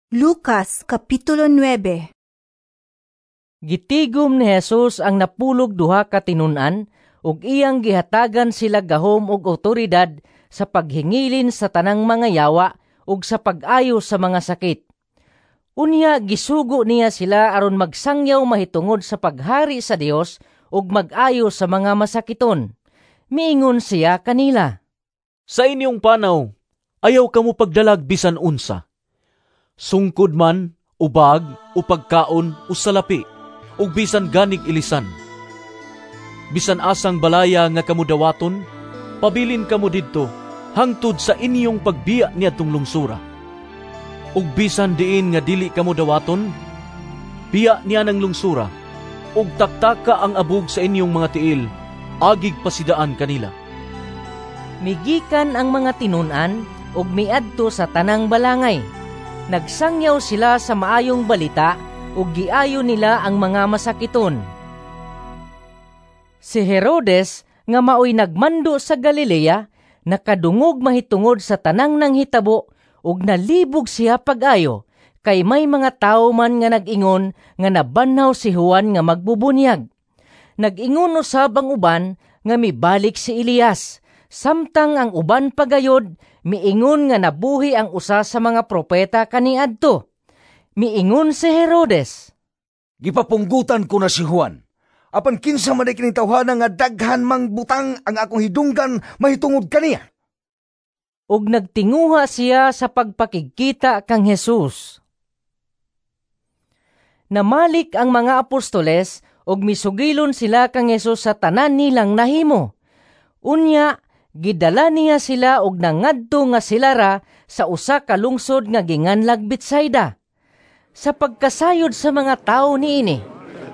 Lucas Kapitulo 9. Gitigom ni Jesus ang 12 ka tinun-an ug iyang gihatagan sila gahom ug awtoridad sa paghingilin sa tanang mga yawa ug sa pag-ayo sa mga sakit. Unya gisugo niya sila aron magsangyaw mahitungod sa paghari sa Dios ug mag-ayo sa mga masakiton. Miingon siya kanila, "Sa inyong panaw, ayaw kamo pagdalag bisan unsa. Sungkod man, o bag, o pagkaon, o salapi, ug bisan ganig ilisan. Bisan asang balaya nga kamo dawaton, pabilin kamo didto hangtod sa inyong pagbiya niadtong lungsura. Ug bisan diin nga dili kamo dawaton, biya niya ng lungsura, ug taktaka ang abog sa inyong mga tiil, agig pasidaan kanila." Migikan ang mga tinun-an ug miadto sa tanang balangay. Nagsangyaw sila sa maayong balita ug giayo nila ang mga masakiton. Si Herodes nga maoy nagmando sa Galilea nakadungog mahitungod sa tanang nanghitabo ug nalibog siya pag-ayo kay may mga tawo man nga nag-ingon nga nabanhaw si Juan nga magbubunyag. Nag-ingon usab ang uban nga mibalik si Elias, samtang ang uban pagayod miingon nga nabuhi ang usa sa mga propeta kaniadto. Miingon si Herodes, "Gipapunggutan ko na si Juan. Apan kinsa man kining tawhana nga daghan mang butang ang akong hidunggan mahitungod kaniya?" Ug nagtinguha siya sa pagpakigkita kang Jesus. Namalik ang mga apostoles ug misugilon sila kang Jesus sa tanan nilang nahimo. Unya gidala niya sila og nangadto nga sila ra sa usa ka lungsod nga ginganlag Betsaida. Sa pagkasayod sa mga tawo niini,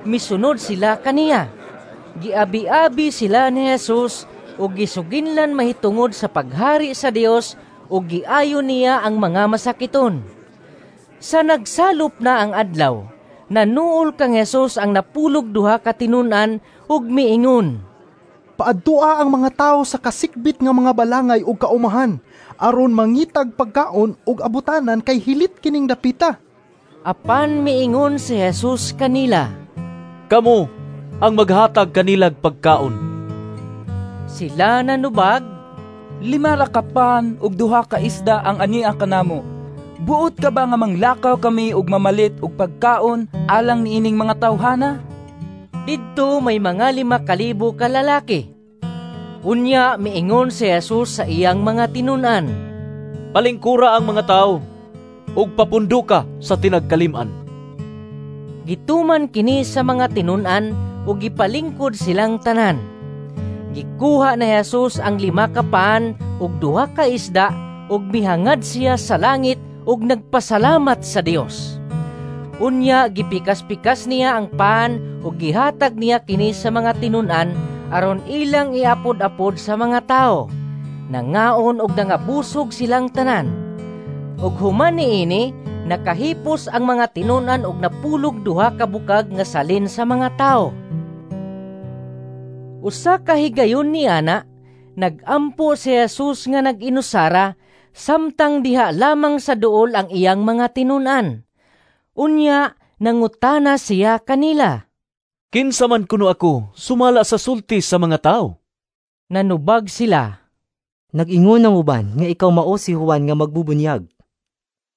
misunod sila kaniya. Giabi-abi sila ni Jesus ug gisuginlan mahitungod sa paghari sa Dios ug giayo niya ang mga masakiton. Sa nagsalop na ang adlaw, nanuol kang Jesus ang 12 ka tinun-an ug miingon, "Paadtua ang mga tawo sa kasikbit nga mga balangay ug kaumahan aron mangitag pagkaon ug abutanan kay hilit kining dapita." Apan miingon si Jesus kanila, "Kamo ang maghatag kanilag pagkaon." Sila nanubag, "5 ra ka pan ug 2 ka isda ang ania kanamo. Buot ka ba nga manglakaw kami ug mamalit og pagkaon alang niining mga tawhana?" Didto may mga 5,000 ka lalaki. Unya miingon si Jesus sa iyang mga tinun-an, "Palingkura ang mga tawo ug papundo ka sa tinagkalim-an." Gituman kini sa mga tinun-an ug gipalingkod silang tanan. Gikuha ni Jesus ang 5 ka pan ug 2 ka isda ug mihangad siya sa langit ug nagpasalamat sa Dios. Unya gipikas-pikas niya ang pan ug gihatag niya kini sa mga tinun-an aron ilang iapod-apod sa mga tao. Nangaon og nangabusog silang tanan. Ug human niini, nakahipos ang mga tinun-an og 12 ka bukag nga salin sa mga tao. Usa ka higayon niana, nag-ampo si Jesus nga nag-inusara samtang diha lamang sa duol ang iyang mga tinun-an. Unya, nangutana siya kanila, "Kinsa man kuno ako sumala sa sulti sa mga tao?" Nanubag sila, "Nag-ingon ang uban nga ikaw mao si Juan nga magbubunyag."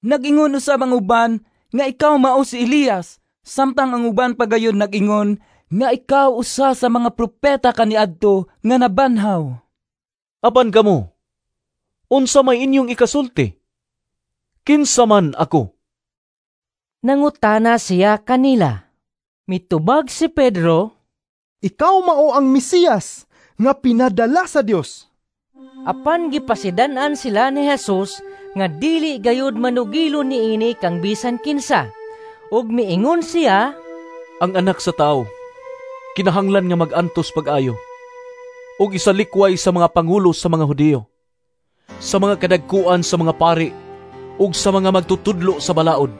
"Nag-ingon usab ang uban nga ikaw mao si Elias, samtang ang uban pagayon nag-ingon nga ikaw usa sa mga propeta kaniadto nga nabanhaw." "Apan kamo, unsa may inyong ikasulti? Kinsa man ako?" Nangutana siya kanila. Mitubag si Pedro, "Ikaw mao ang Mesiyas nga pinadala sa Dios." Apan gipasidan-an sila ni Jesus nga dili gayud manugilo niini kang bisan kinsa. Ug miingon siya, "Ang anak sa tawo kinahanglan nga mag-antos pag-ayo ug isalikway sa mga pangulo sa mga Hudiyo, sa mga kadagkuan sa mga pari ug sa mga magtutudlo sa balaod.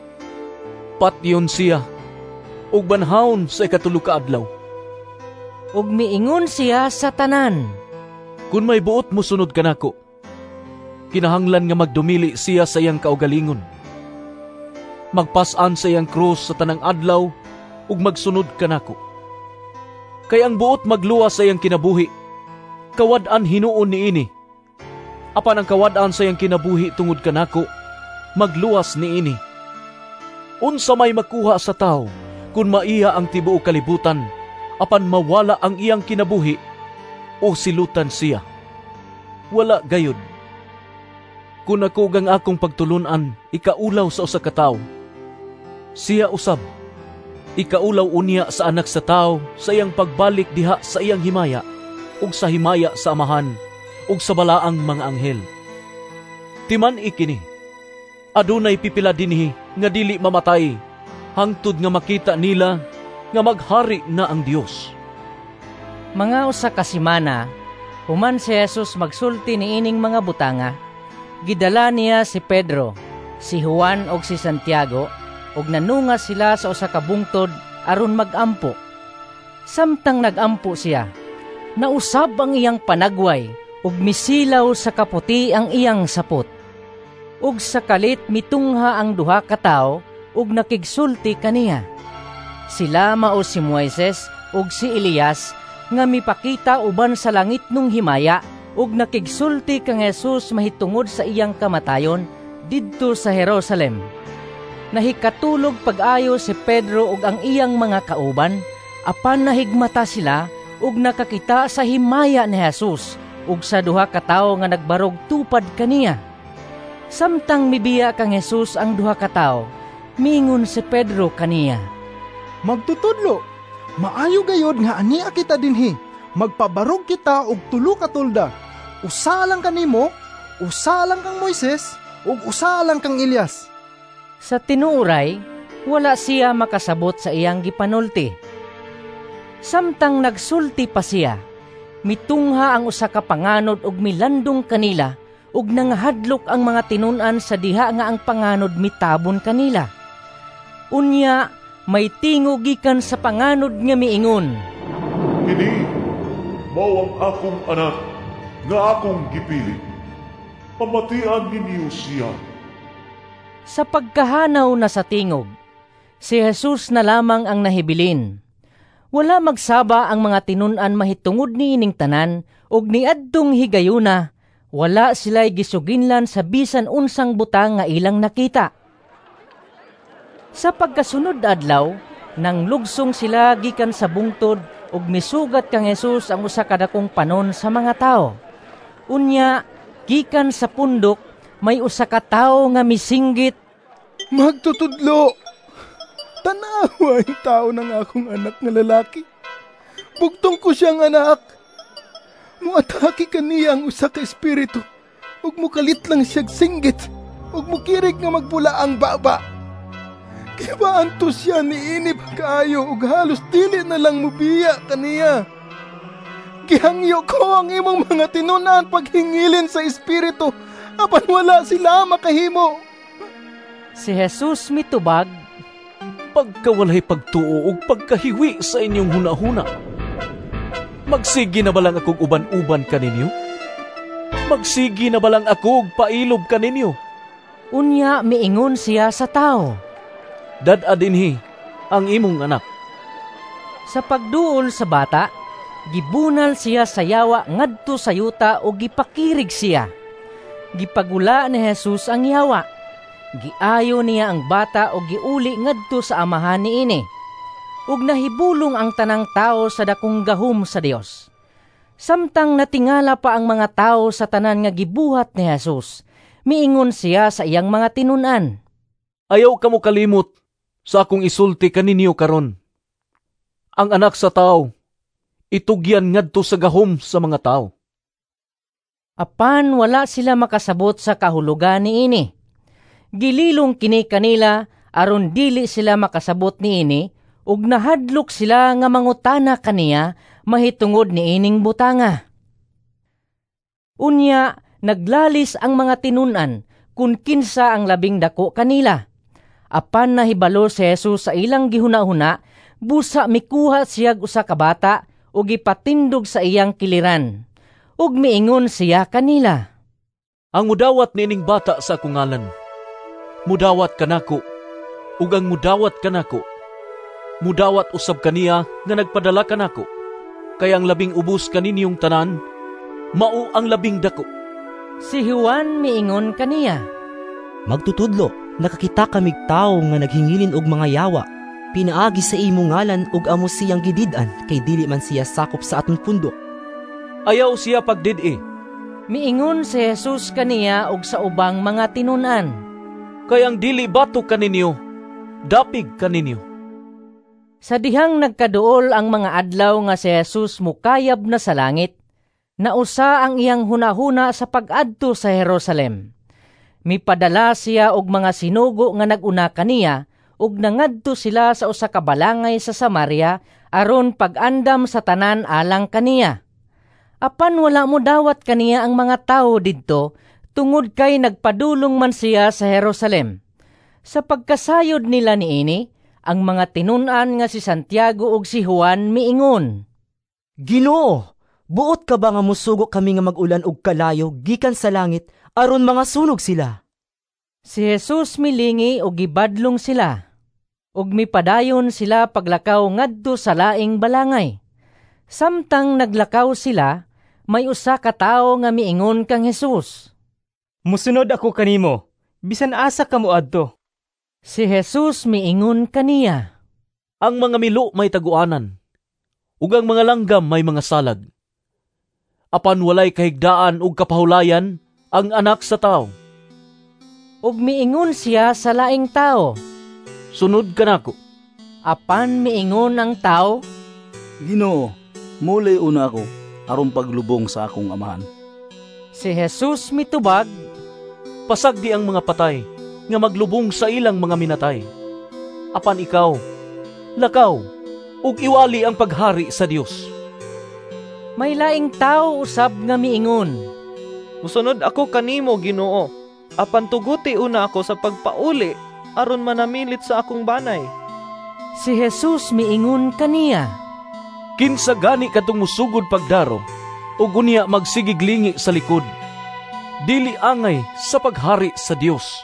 Patyon siya ug banhawon sa 3 ka adlaw." Ug miingon siya sa tanan, "Kun may buot mosunod kanako, kinahanglan nga magdumili siya sa iyang kaugalingon. Magpas-an sa iyang krus sa tanang adlaw ug magsunod kanako. Kay ang buot magluwas sa iyang kinabuhi, kawad-an hinuon niini. Apan ang kawad-an sa iyang kinabuhi tungod kanako, magluwas niini. Unsa may makuha sa tawo kung maiya ang tibuok kalibutan, apan mawala ang iyang kinabuhi o silutan siya? Wala gayud. Kun ako gang akong pagtulunan ikaulaw sa usa ka tawo, siya usab ikaulaw unya sa Anak sa Tawo sa iyang pagbalik diha sa iyang himaya ug sa himaya sa Amahan ug sa balaang mga anghel. Timan-i kini, adunay pipila dinhi nga dili mamatay hangtod nga makita nila nga maghari na ang Dios. Mga usa ka semana, human si Jesus magsulti niining mga butanga, gidala niya si Pedro, si Juan ug si Santiago ug nanunga sila sa usa ka bungtod aron magampo. Samtang nagampo siya, nausab ang iyang panagway ug misilaw sa kaputi ang iyang sapot. Ug sa kalit mitungha ang duha ka tawo ug nakigsulti kaniya. Sila mao si Moises ug si Elias nga mipakita uban sa langit nung himaya ug nakigsulti kang Jesus mahitungod sa iyang kamatayon didto sa Jerusalem. Nahikatulog pag-ayo si Pedro ug ang iyang mga kauban, apan nahigmata sila ug nakakita sa himaya ni Jesus ug sa duha ka tawo nga nagbarog tupad kaniya. Samtang mibiya kang Jesus ang duha ka tawo, mingon si Pedro kaniya, "Magtutudlo, maayo gayod nga ania kita dinhi. Magpabarog kita og tulo ka tolda. Usa lang kanimo, usa lang kang Moises, ug usa lang kang Elias." Sa tinuoray, wala siya makasabot sa iyang gipanulti. Samtang nagsulti pa siya, mitungha ang usa ka panganod og milandong kanila ug nangahadlok ang mga tinun-an sa diha nga ang panganod mitabon kanila. Unya, may tingog gikan sa panganod nga miingon, "Kini mao ang akong anak nga akong gipili. Pamatian ninyo siya." Sa pagkahanaw na sa tingog, si Jesus na lamang ang nahibilin. Wala magsaba ang mga tinun-an mahitungod niining tanan ug niadtong higayuna, wala sila'y gisuginlan sa bisan unsang butang nga ilang nakita. Sa pagkasunod adlaw, nang lugsong sila gikan sa bungtod ug misugat kang Jesus ang usa ka dakong panon sa mga tawo. Unya, gikan sa pundok, may usa ka tawo nga misinggit, "Magtutudlo, tanawa ang tao ng akong anak nga lalaki. Bugtong ko siyang anak. Muatake kaniya ang usa ka espiritu, ug mukalit lang siyag singgit, ug mukirig nga magbula ang baba. Kibaanto siya niini pagkaayo ug halos dili na lang mubiya kaniya. Gihangyo ko ang imong mga tinunan paghingilin sa espiritu, apan wala sila makahimo." Si Jesus mitubag, "Pagkawalay pagtuo ug pagkahiwi sa inyong hunahuna. Magsigi na ba lang akong uban-uban kaninyo? Magsigi na ba lang ako og pailob kaninyo?" Unya miingon siya sa tawo, "Dad-a dinhi ang imong anak." Sa pagduol sa bata, gibunal siya sa yawa ngadto sa yuta ug gipakirig siya. Gipagula ni Jesus ang yawa. Giayo niya ang bata ug giuli ngadto sa amahan niini. Ug nahibulong ang tanang tao sa dakong gahom sa Dios. Samtang natingala pa ang mga tao sa tanan nga gibuhat ni Jesus, miingon siya sa iyang mga tinun-an, "Ayaw kamo kalimot sa akong isulti kaninyo karon. Ang Anak sa Tawo itugyan ngadto sa gahom sa mga tao." Apan wala sila makasabot sa kahulugan niini. Gililong kini kanila aron dili sila makasabot niini ug nahadlok sila nga mangutana kaniya mahitungod niining butanga. Unya naglalis ang mga tinun-an kun kinsa ang labing dako kanila. Apan nahibalo si Jesus sa ilang gihuna-huna, busa mikuha siyag usa ka bata ug gipatindog sa iyang kiliran. Ug miingon siya kanila, "Ang mudawat niining bata sa akong ngalan, mudawat kanako, Ug ang mudawat kanako, mudawat usab kaniya nga nagpadala kanako. Kay ang labing ubos kaninyong tanan, mao ang labing dako. Si Juan miingon kaniya, "Magtutudlo, nakakita kamig tawo nga naghingilin og mga yawa pinaagi sa imong ngalan ug amo siyang gidid-an kay dili man siya sakop sa aton pundok." "Ayaw siya pagdid-i," miingon si Jesus kaniya og sa ubang mga tinun-an, "kay ang dili batok kaninyo, dapig kaninyo." Sa dihang nagkaduol ang mga adlaw nga si Jesus mukayab na sa langit, nausa ang iyang hunahuna sa pag-adto sa Jerusalem. Mipadala siya og mga sinugo nga nag-una kaniya ug nangadto sila sa usa ka balangay sa Samaria aron pag-andam sa tanan alang kaniya. Apan wala modawat kaniya ang mga tawo didto tungod kay nagpadulong man siya sa Jerusalem. Sa pagkasayod nila niini, ang mga tinun-an nga si Santiago ug si Juan miingon, "Ginoo, buot ka ba nga musugo kami nga mag-ulan og kalayo gikan sa langit aron mga sunog sila?" Si Jesus milingi og gibadlong sila, ug mipadayon sila paglakaw ngadto sa laing balangay. Samtang naglakaw sila, may usa ka tawo nga miingon kang Jesus, "Musunod ako kanimo, bisan asa ka moadto." Si Jesus miingon kaniya, "Ang mga milo may taguanan, ug ang mga langgam may mga salag. Apan walay kahigdaan ug kapahulayan ang Anak sa Tawo." Ug miingon siya sa laing tawo, "Sunod kanako." Apan miingon ang tawo, "Ginoo, mulay una ako aron paglubong sa akong amahan." Si Jesus mitubag, "Pasagdi ang mga patay nga maglubong sa ilang mga minatay. Apan ikaw, lakaw, ug iwali ang paghari sa Dios." May laing tawo usab nga miingon, "Musunod ako kanimo, Ginoo, apan tuguti una ako sa pagpauli aron manamilit sa akong banay." Si Jesus miingon kaniya, "Kinsa gani kadtong musugod pagdaro ug unya magsigig lingi sa likod, dili angay sa paghari sa Dios."